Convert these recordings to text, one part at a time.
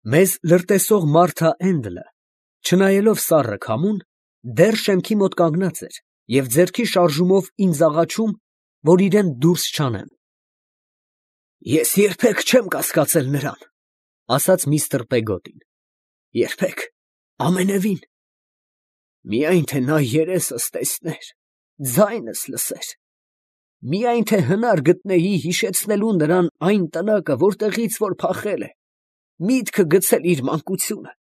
Մեզ լրտեսող Մարթա Էնդլը, չնայելով սառը քամուն, դեռ շեմքի մոտ կանգնած էր և ձեռքի շարժումով ինձ աղաչում, որ իրան դուրս չանեմ։ «Ես երբեք չեմ կասկածել նրան, ֊ ասաց միստր Պեգոտին, ֊ երբեք, ամենևին. միայն թե նա երեսս տեսներ, ձայնս լսեր, միայն թե հնար գտնեի հիշեցնելու նրան այն տնակը, որտեղից որ փախել է, միտքը գցել իր մանկությունը…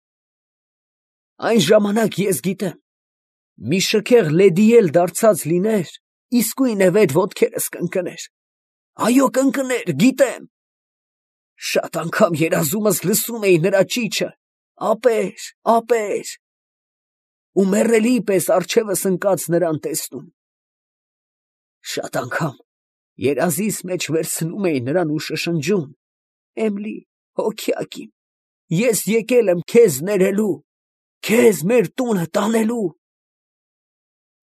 Այն ժամանակ ես գիտեմ, մի շքեղ լեդի էլ դարձած լիներ, իսկույնևեթ ոտքերս կընկներ… Այո, կընկներ, գիտեմ… Շատ անգամ երազումս լսում էի նրա ճիչը. ապեր, ապեր… ու մեռելի պես առջևս ընկած նրան տեսնում… Շատ անգամ երազիս մեջ վերցնում էի նրան ու շշնջում. Էմլի, հոգյակ իմ, ես եկել եմ քեզ ներելու, քեզ մեր տունը տանելու…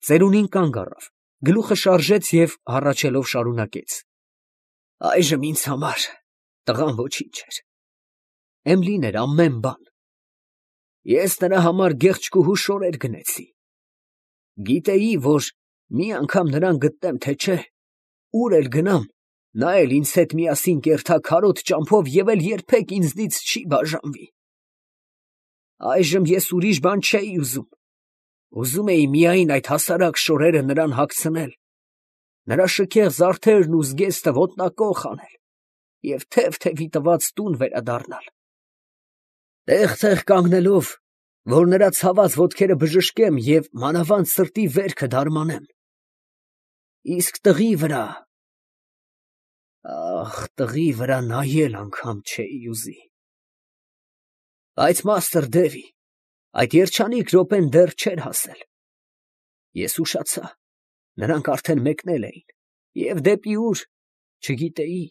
Ծերունին կանգ առավ, գլուխը շարժեց և հառաչելով շարունակեց. Այժմ ինձ համար տղան ոչինչ էր… Էմլին էր ամեն բան… Ես նրա համար գեղեցկուհու շորեր գնեցի… Գիտեի, որ մի անգամ նրան գտնեմ, թե չէ, ուր էլ գնամ, նա էլ ինձ հետ միասին կերթա քարոտ ճամփով և էլ երբեք ինձնից չի բաժանվի… Այժմ ես ուրիշ բան չէի ուզում… Ուզում էի միայն այդ հասարակ շորերը նրան հագցնել, նրա շքեղ զարդերն ու զգեստը ոտնակոխ անել և թև֊թևի տված տուն վերադառնալ… Տեղ֊տեղ կանգնելով, որ նրա ցաված ոտքերը բժշկեմ և մանավանդ սրտի վերքը դարմանեմ… Իսկ տղի վրա… ախ, տղի վրա նայել անգամ չէի ուզի… Բայց Մաստր Դևի, այդ երջանիկ րոպեն դեռ չէր հասել… Ես ուշացա, նրանք արդեն մեկնել էին, և դեպի ուր… չգիտեի…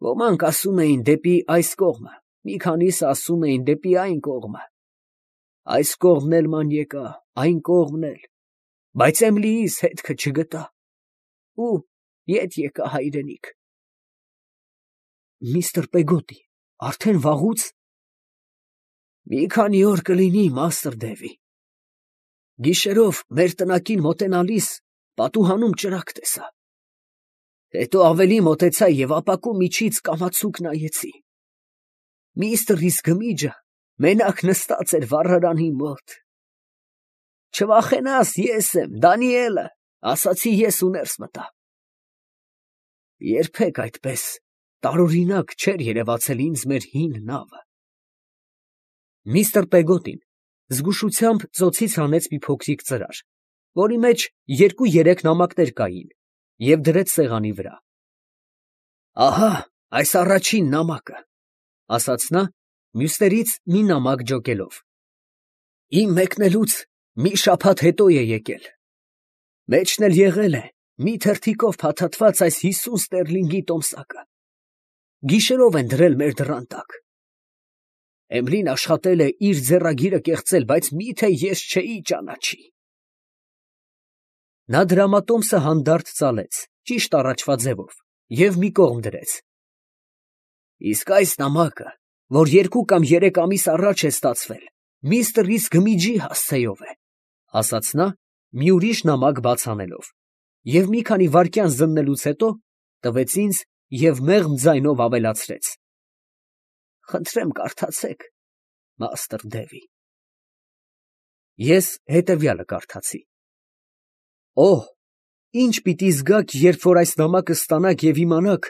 Ոմանք ասում էին դեպի այս կողմը, մի քանիսը ասում էին դեպի այն կողմը… Այս կողմն էլ ման եկա, այն կողմն էլ… Բայց Էմլիիս հետքը չգտա… Ու ետ եկա հայրենիք… Միստր Պեգոտի, արդեն վաղուց… Մի քանի օր կլինի, Մաստր Դևի… Գիշերով մեր տնակին մոտենալիս պատուհանում ճրագ տեսա… Հետո ավելի մոտեցա և ապակու միջից կամացուկ նայեցի… Միստր Ռիսկմիջը մենակ նստած էր վառարանի մոտ… Չվախենաս, ես եմ, Դանիելը, ասացի ես ու ներս մտա… Երբեք այդպես տարօրինակ չէր երևացել ինձ մեր հին նավը… Միստր Պեգոտին զգուշությամբ ծոցից հանեց մի փոքրիկ ծրար, որի մեջ 2-3 նամակներ կային, և դրեց սեղանի վրա… Ահա այս առաջին նամակը, ֊ ասաց նա, մյուսներից մի նամակ ջոկելով. Իմ մեկնելուց մի շաբաթ հետո է եկել… Մեջն էլ եղել է մի թերթիկով փաթաթված այս 50 ստերլինգի տոմսակը… Գիշերով են դրել մեր դռան տակ… Էմլին աշխատել է իր ձեռագիրը կեղծել, բայց մի՞թե ես չէի ճանաչի… Նա դրամատոմսը հանդարտ ծալեց, ճիշտ առաջվա ձևով, և մի կողմ դրեց… Իսկ այս նամակը, որ 2 կամ 3 ամիս առաջ է ստացվել, միստր Ռիսկմիջի հասցեով է… ֊ ասաց նա, մի ուրիշ նամակ բաց անելով, և մի քանի վայրկյան զննելուց հետո տվեց ինձ և մեղմ ձայնով ավելացրեց. Խնդրեմ կարդացեք, Մաստր Դևի… Ես հետևյալը կարդացի. Օհ, ինչ պիտի զգաք, երբ որ այս նամակը ստանաք և իմանաք,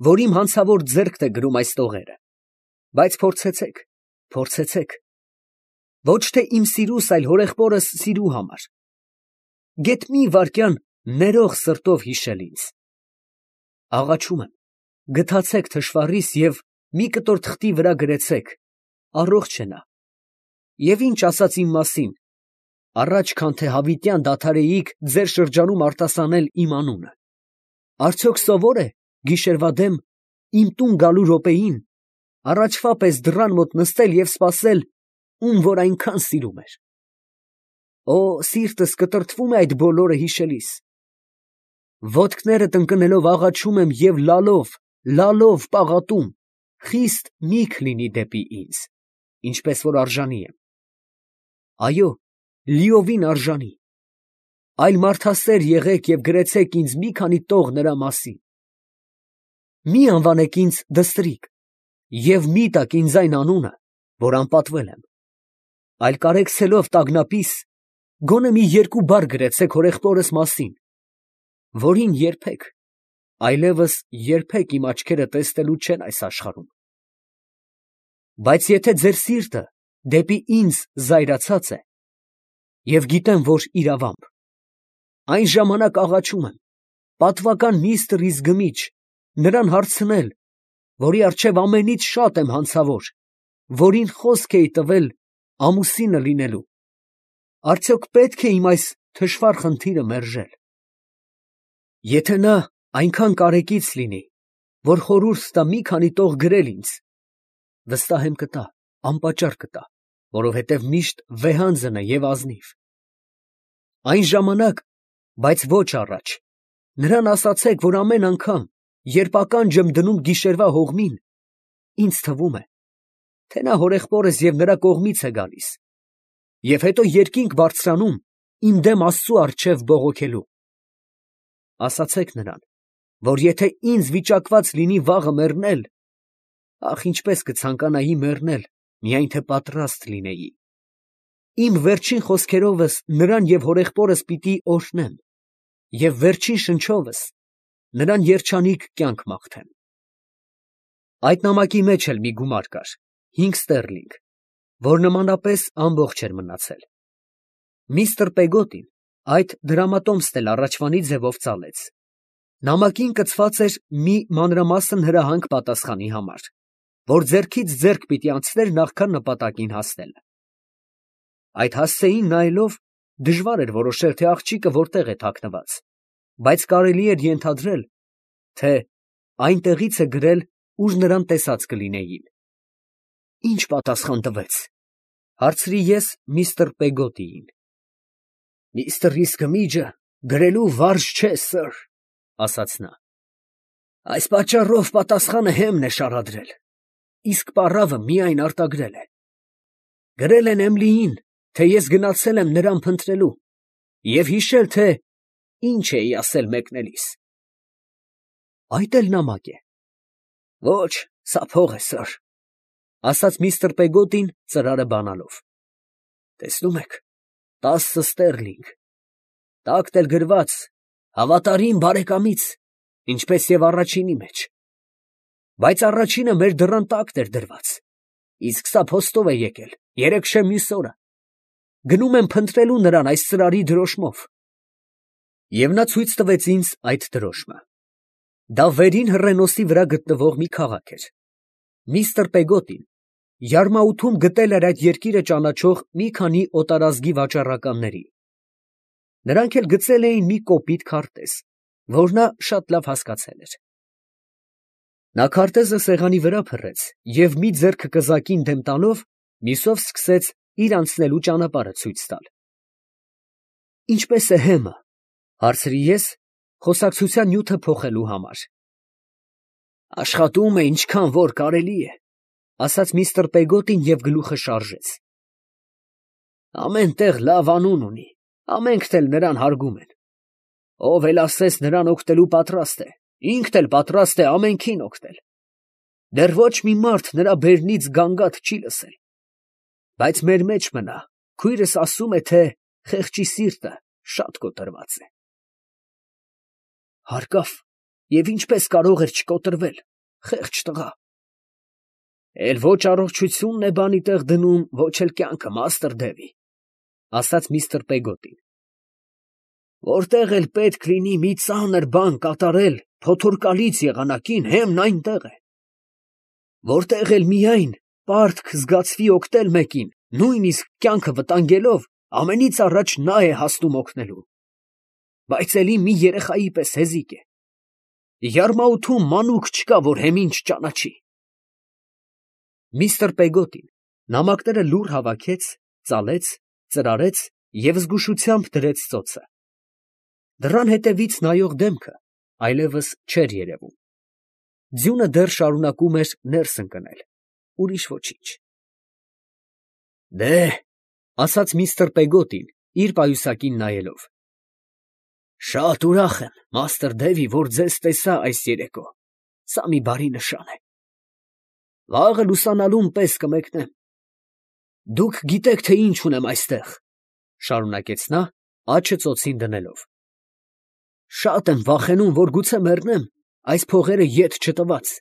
որ իմ հանցավոր ձեռքն է գրում այս տողերը… Բայց փորձեցեք, փորձեցեք… Ոչ թե իմ սիրուս, այլ հորեղբորս սիրու համար… Գեթ մի վայրկյան ներող սրտով հիշել ինձ… Աղաչում եմ, գթացեք թշվառիս և մի կտոր թղթի վրա գրեցեք. առողջ է նա… Եվ ինչ ասաց իմ մասին, առաջ քան թե հավիտյան դադարեիք ձեր շրջանում արտասանել իմ անունը… Արդյոք սովոր է գիշերվա դեմ իմ տուն գալու րոպեին առաջվա պես դռան մոտ նստել և սպասել, ում որ այնքան սիրում էր… Օ, սիրտս կտրտվում է այդ բոլորը հիշելիս… Ոտքներդ ընկնելով աղաչում եմ և լալով, լալով պաղատում, խիստ միք լինի դեպի ինձ, ինչպես որ արժանի եմ։ Այո, լիովին արժանի։ Այլ մարդասեր եղեք և գրեցեք ինձ մի քանի տող նրա մասին։ Մի անվանեք ինձ դստրիկ և մի տաք ինձ այն անունը, որ անպատվել եմ, այլ կարեկցելով տագնապիս, գոնե մի երկու բառ գրեցեք հորեղբորս մասին, որին երբեք, այլևս երբեք իմ աչքերը տեսնելու չեն այս աշխարհում։ Բայց եթե ձեր սիրտը դեպի ինձ զայրացած է, և գիտեմ, որ իրավամբ, այն ժամանակ աղաչում եմ, պատվական միստր Իզգմիչ, նրան հարցնել, որի առջև ամենից շատ եմ հանցավոր, որին խոսք էի տվել ամուսինը լինելու, արդյոք պետք է իմ այս թշվառ խնդիրը մերժել։ Եթե նա այնքան կարեկից լինի, որ խորհուրդ տա մի քանի տող գրել ինձ, վստահ եմ կտա, անպատճառ կտա, որովհետև միշտ վեհանձն է և ազնիվ։ Այն ժամանակ, բայց ոչ առաջ, նրան ասացեք, որ ամեն անգամ, երբ ականջ եմ դնում գիշերվա հողմին, ինձ թվում է, թե նա հորեղբորս և նրա կողմից է գալիս, և հետո երկինք բարձրանում իմ դեմ Աստծու առջև բողոքելու։ Ասացեք նրան, որ եթե ինձ վիճակված լինի վաղը մեռնել, ախ, ինչպես կցանկանայի մեռնել, միայն թե պատրաստ լինեի։ Իմ վերջին խոսքերովս նրան և հորեղբորս պիտի օրհնեմ, և վերջին շնչովս նրան երջանիկ կյանք մաղթեմ։ Այդ նամակի մեջ էլ մի գումար կար, 5 ստերլինգ, որ նմանապես ամբողջ էր մնացել։ Միստր Պեգոտին այդ դրամատոմսն էլ առաջվանի ձևով ծալեց։ Նամակին կցված էր մի մանրամասն հրահանգ պատասխանի համար, որ ձեռքից ձեռք պիտի անցներ նախքան նպատակին հասնելը։ Այդ հասցեին նայելով դժվար էր որոշել, թե աղջիկը որտեղ է թաքնված, բայց կարելի էր ենթադրել, թե այնտեղից է գրել, ուր նրան տեսած կլինեին։ Ի՞նչ պատասխան տվեց, հարցրի ես միստր Պեգոտիին։ Միստր Իզգմիջը գրելու վարժ չէ, սըր, ասաց նա։ Այս պատճառով պատասխանը հեմն է շարադրել, իսկ պառավը միայն արտագրել է։ Գրել են Էմլիին, թե ես գնացել եմ նրան փնտրելու և հիշել, թե ինչ էի ասել մեկնելիս։ Այդ էլ նամակ է։ Ոչ, սա փող է, սըր, ասաց միստր Պեգոտին ծրարը բանալով։ Տեսնում եք, 10 ստերլինգ, տակն էլ գրված հավատարիմ բարեկամից, ինչպես և առաջինի մեջ։ Բայց առաջինը մեր դռան տակն էր դրված, իսկ սա փոստով է եկել, երեքշեմ մյուս օրը։ Գնում եմ փնտրելու նրան այս ծրարի դրոշմով։ Եվ նա ցույց տվեց ինձ այդ դրոշմը։ Դա վերին հռենոսի վրա գտնվող մի քաղաք էր։ Միստր Պեգոտին Յարմաութում գտել էր այդ երկիրը ճանաչող մի քանի օտարազգի վաճառականների։ Նրանք էլ գծել էին մի կոպիտ քարտեզ, որ նա շատ լավ հասկացել էր։ Նա քարտեզը սեղանի վրա փռեց և մի ձեռքը կզակին դեմ տալով, մյուսով սկսեց իր անցնելու ճանապարհը ցույց տալ։ Ինչպե՞ս է հեմը, հարցրի ես, խոսակցության նյութը փոխելու համար։ Աշխատում է ինչքան որ կարելի է, ասաց միստր Պեգոտին և գլուխը շարժեց։ Ամեն տեղ լավ անուն ունի, ամենքն էլ նրան հարգում են։ Ով էլ ասես նրան օգտելու պատրաստ է, ինքն էլ պատրաստ է ամենքին օգնել։ Դեռ ոչ մի մարդ նրա բերնից գանգատ չի լսել։ Բայց մեր մեջ մնա, քույրս ասում է, թե խեղճի սիրտը շատ կոտրված է։ Հարկավ, և ինչպես կարող էր չկոտրվել, խեղճ տղա։ Էլ ոչ առողջությունն է բանի տեղ դնում, ոչ էլ կյանքը, մաստր Դևի, ասաց միստր Պեգոտին։ Որտեղ էլ պետք լինի մի ծանր բան կատարել փոթորկալից եղանակին, հեմն այնտեղ է։ Որտեղ էլ միայն պարտք զգացվի օգնել մեկին, նույնիսկ կյանքը վտանգելով, ամենից առաջ նա է հասնում օգնելու։ Բայց էլի մի երեխայի պես հեզիկ է։ Յարմաութում մանուկ չկա, որ հեմին չճանաչի։ Միստր Պեգոտին նամակները լուռ հավաքեց, ծալեց, ծրարեց և զգուշությամբ դրեց ծոցը։ Դռան հետևից նայող դեմքը այլևս չէր երևում։ Ձյունը դեռ շարունակում էր ներս ընկնել, ուրիշ ոչինչ։ Դե, ասաց միստր Պեգոտին, իր պայուսակին նայելով. Շատ ուրախ եմ, մաստր Դևի, որ ձեզ տեսա այս երեկո, սա մի բարի նշան է։ Վաղը լուսանալուն պես կմեկնեմ։ Դուք գիտեք, թե ինչ ունեմ այստեղ, շարունակեց նա, աջը ծոցին դնելով։ Շատ եմ վախենում, որ գուցե մեռնեմ այս փողերը ետ չտված։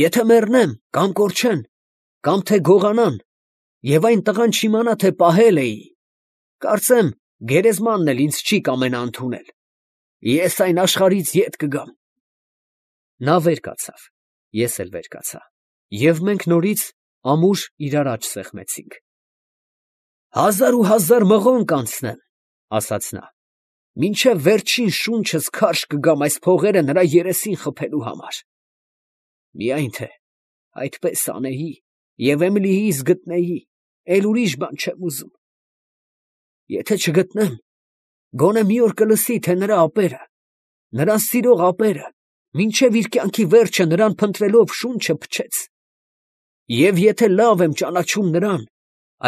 Եթե մեռնեմ, կամ կորչեն, կամ թե գողանան, եւ այն տղան չիմանա, թե պահել էի, կարծեմ, գերեզմանն էլ ինձ չի կամենա ընդունել։ Ես այն աշխարհից ետ կգամ։ Նա վեր կացավ, ես էլ վեր կացա, եւ մենք նորից ամուր իրար աջ սեղմեցինք։ 1000 մղոն կանցնեմ, ասաց նա, մինչև վերջին շունչս քարշ կգամ այս փողերը նրա երեսին խփելու համար։ Միայն թե այդպես անեի եւ Էմիլիիս գտնեի, էլ ուրիշ բան չեմ ուզում։ Եթե չգտնեմ, գոնե մի օր կլսի, թե նրա ապերը, նրան սիրող ապերը, մինչև իր կյանքի վերջը նրան փնտրելով շունչը փչեց։ Եվ եթե լավ եմ ճանաչում նրան,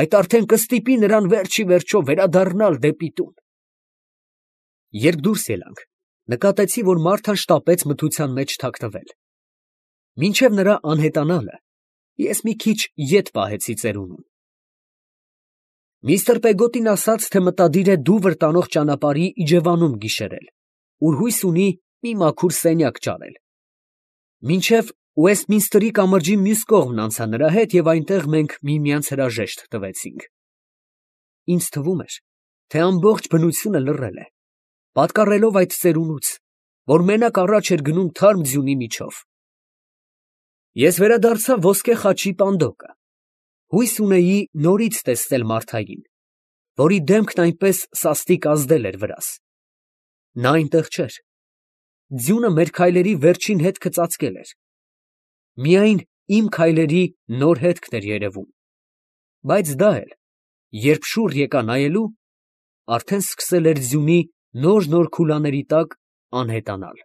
այդ արդեն կստիպի նրան վերջի վերջո վերադառնալ դեպի տուն։ Երբ դուրս ելանք, նկատեցի, որ Մարթան շտապեց մթության մեջ թաքնվել։ Մինչև նրա անհետանալը, ես մի քիչ ետ պահեցի ծերունուն։ Միստր Պեգոտին ասաց, թե մտադիր է դուվր տանող ճանապարհի իջևանում գիշերել, ուր հույս ունի մի մաքուր սենյակ ճարել։ Մինչև Ուեստմինսթրի կամրջի մյուս կողմն անցա նրա հետ և այնտեղ մենք միմյանց հրաժեշտ տվեցինք։ Ինձ թվում էր, թե ամբողջ բնությունը լռել է, պատկառելով այդ ծերունուց, որ մենակ առաջ էր գնում թարմ ձյունի միջով։ Ես վերադարձա ոսկե խաչի պանդոկը։ Հույս ունեի նորից տեսնել Մարթային, որի դեմքն այնպես սաստիկ ազդել էր վրաս։ Նա այնտեղ չէր։ Ձյունը մեր քայլերի վերջին հետքը ծածկել էր։ Միայն իմ քայլերի նոր հետքն էր երևում, բայց դա էլ, երբ շուռ եկա նայելու, արդեն սկսել էր ձյունի նոր քուլաների տակ անհետանալ։